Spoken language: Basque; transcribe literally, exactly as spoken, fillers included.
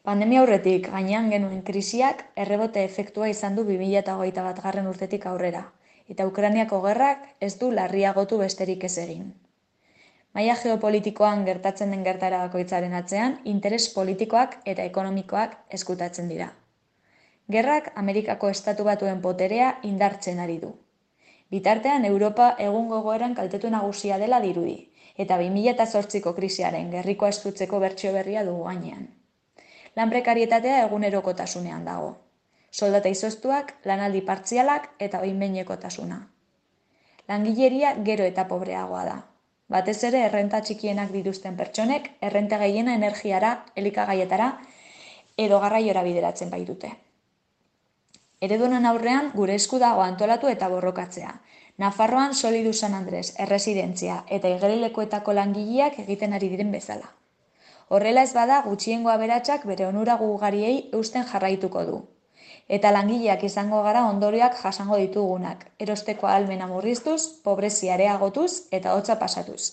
Pandemia aurretik gainean genuen krisiak errebote efektua izan du bi mila hogeita batgarren urtetik aurrera, eta Ukrainiako gerrak ez du larriagotu besterik ez egin. Maila geopolitikoan gertatzen den gertaera bakoitzaren atzean, interes politikoak eta ekonomikoak ezkutatzen dira. Gerrak Amerikako Estatu Batuen poterea indartzen ari du. Bitartean, Europa egungo egoeran kaltetu nagusia dela dirudi, eta bi mila zortziko krisiaren gerrikoa estutzeko bertsio berria dugu gainean. Lan prekarietatea egunerokotasunean dago. Soldata izoztuak, lanaldi partzialak eta behin-behinekotasuna. Langileria gero eta pobreagoa da. Batez ere errenta txikienak dituzten pertsonek, errenta gehiena energiara, elikagaietara edo garraiora bideratzen baitute. Eredunen aurrean gure esku dago antolatu eta borrokatzea. Nafarroan Solidu San Andres, erresidentzia eta igerilekuetako langileak egiten ari diren bezala. Horrela ez bada, gutxiengo aberatsak bere onura ugariei eusten jarraituko du. Eta langileak izango gara ondorioak jasango ditugunak, erosteko ahalmena murriztuz, pobrezia areagotuz eta hotza pasatuz.